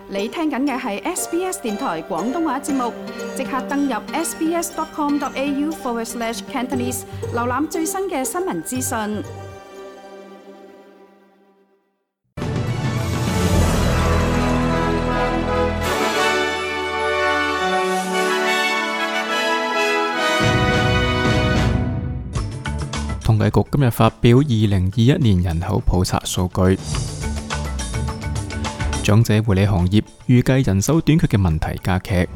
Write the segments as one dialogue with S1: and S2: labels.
S1: 你聽緊嘅係 SBS 電台廣東話節目，即刻登入 sbs.com.au/Cantonese 瀏覽最新嘅新聞資訊。
S2: 統計局今日發表2021年人口普查數據，長者護理行業預計人手短缺嘅問題加劇。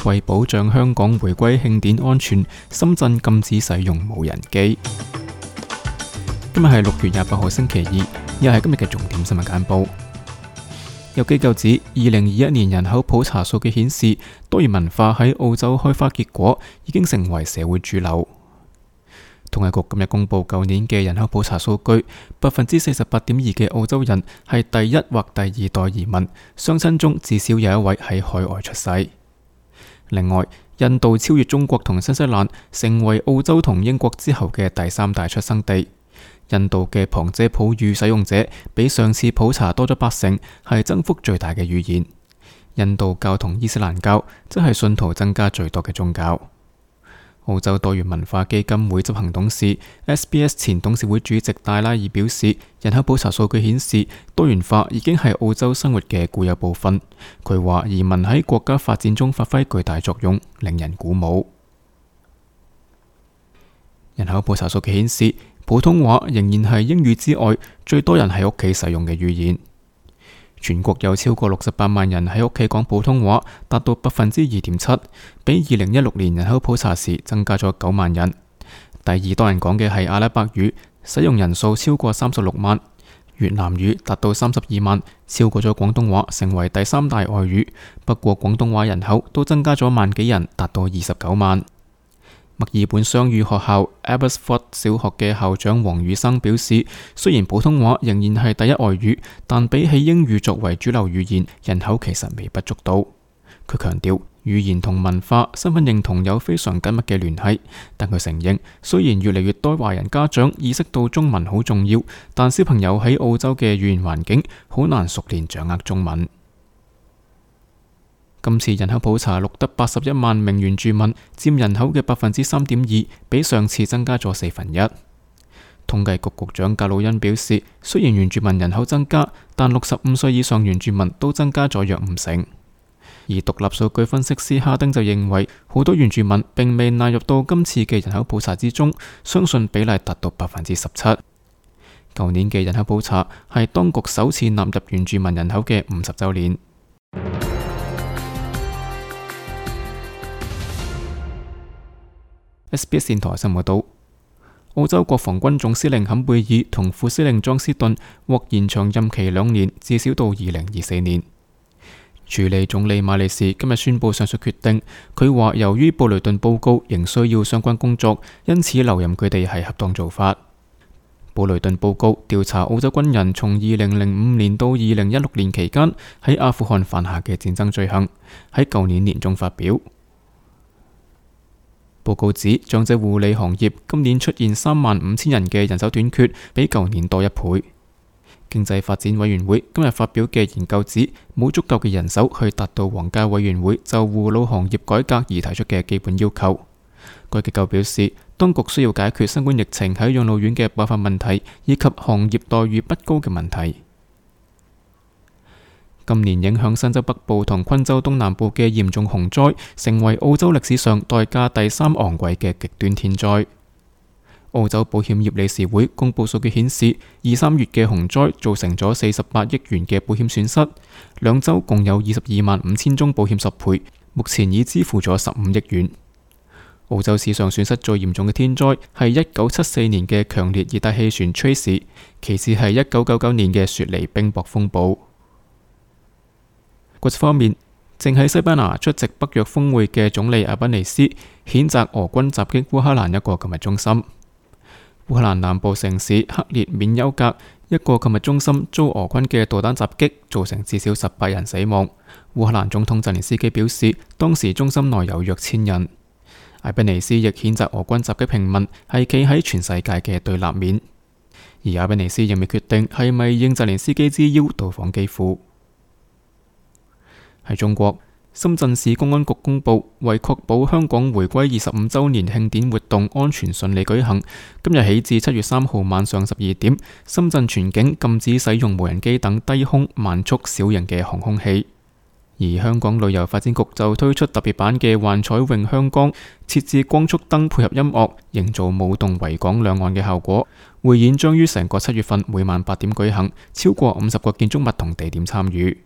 S2: 為保障香港回歸慶典安全，深圳禁止使用無人機。今日係6月28號星期二，又係今日嘅重點新聞簡報。有機構指，2021年人口普查數據顯示，多元文化喺澳洲開花結果，已經成為社會主流。統計局今日公布舊年嘅人口普查數據，48.2%嘅澳洲人係第一或第二代移民，雙親中至少有一位喺海外出世。另外，印度超越中國同新西蘭，成為澳洲同英國之後嘅第三大出生地。印度嘅旁遮普語使用者比上次普查多咗80%，係增幅最大嘅語言。印度教同伊斯蘭教則係信徒增加最多嘅宗教。澳洲多元文化基金會執行董事 SBS 前董事會主席戴拉爾表示，人口普查數據顯示，多元化已經係澳洲生活嘅固有部分。佢話移民喺國家發展中發揮巨大作用，令人鼓舞。人口普查數據顯示，普通話仍然係英語之外最多人喺屋企使用嘅語言。全國有超過68萬人喺屋企講普通話，達到2.7%，比2016年人口普查時增加咗9萬人。第二多人講嘅係阿拉伯語，使用人數超過36萬；越南語達到32萬，超過咗廣東話，成為第三大外語。不過廣東話人口都增加咗萬幾人，達到29萬。墨爾本雙語學校 Abbotsford 小學嘅校長黃宇生表示，雖然普通話仍然係第一外語，但比起英語作為主流語言，人口其實微不足道。佢強調，語言同文化、身份認同有非常緊密嘅聯繫，但佢承認，雖然越嚟越多華人家長意識到中文好重要，但小朋友喺澳洲嘅語言環境好難熟練掌握中文。今次人口普查錄得81萬名原住民，佔人口嘅3.2%，比上次增加咗1/4。統計局局長格魯恩表示，雖然原住民人口增加，但65歲以上原住民都增加咗約50%。而獨立數據分析師哈丁就認為，好多原住民並未納入到今次嘅人口普查之中，相信比例達到17%。舊年嘅人口普查係當局首次納入原住民人口嘅50週年。SBS 電台新聞報道，澳洲國防軍總司令坎貝爾同副司令莊斯頓獲延長任期2年，至少到2024年。署理總理馬利士今日宣布上述決定，佢話由於布雷頓報告仍需要相關工作，因此留任佢哋係恰當做法。布雷頓報告調查澳洲軍人從2005年到2016年期間喺阿富汗犯下嘅戰爭罪行，喺舊年年中發表。報告指，長者護理行業今年出現35,000人嘅人手短缺，比舊年多1倍。經濟發展委員會今日發表嘅研究指，冇足夠嘅人手去達到皇家委員會就護老行業改革而提出嘅基本要求。該機構表示，當局需要解決新冠疫情喺養老院嘅爆發問題，以及行業待遇不高嘅問題。今年影響新州北部同昆州東南部嘅嚴重洪災，成為澳洲歷史上代價第3昂貴嘅極端天災。澳洲保險業理事會公佈數據顯示，2、3月嘅洪災造成咗48億元嘅保險損失，2州共有225000宗保險索賠，目前已支付咗15億元。澳洲史上損失最嚴重嘅天災係1974年嘅強烈熱帶氣旋 Tracy， 其次係1999年嘅雪梨冰雹風暴。國際方面，正喺西班牙出席北約峰會嘅總理阿賓尼斯譴責俄軍襲擊烏克蘭一個購物中心。烏克蘭南部城市克列緬丘格一個購物中心遭俄軍嘅導彈襲擊，造成至少18人死亡。烏克蘭總統澤連斯基表示，當時中心內有約1000人。阿賓尼斯亦譴責俄軍襲擊平民係企喺全世界嘅對立面。而阿賓尼斯仍未決定係咪應澤連斯基之邀到訪基輔。喺中國，深圳市公安局公布，為確保香港回歸25週年慶典活動安全順利舉行，今日起至7月3號晚上12點，深圳全境禁止使用無人機等低空慢速小型嘅航空器。而香港旅遊發展局就推出特別版嘅幻彩詠香江，設置光束燈配合音樂，營造舞動維港兩岸嘅效果。匯演將於成個7月份每晚8點舉行，超過50個建築物同地點參與。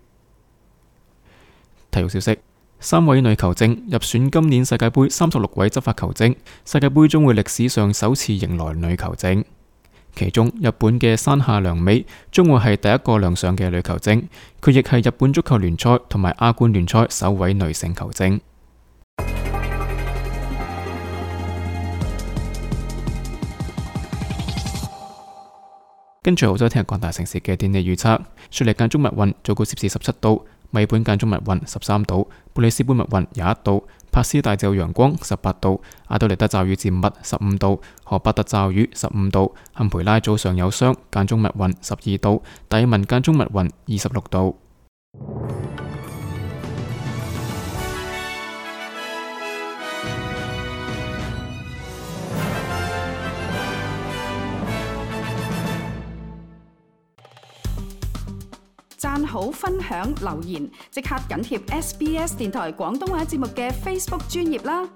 S2: 體育消息：3位女球證入選今年世界盃36位執法球證，世界盃將會歷史上首次迎來女球證。其中，日本嘅山下良美將會係第一個亮相嘅女球證，佢亦係日本足球聯賽同埋亞冠聯賽首位女性球證。跟住澳洲聽日各大城市嘅天氣預測：雪梨間中密雲，最高攝氏17度；墨本間中密雲13度；布里斯班密雲21度；帕斯大驟陽光18度；阿德利德驟雨漸密15度；荷伯特驟雨15度；坎培拉早上有霜間中密雲12度；達爾文間中密雲26度。
S1: 讚好、分享、留言，即刻緊貼SBS 電台廣東話節目嘅 Facebook 專頁啦！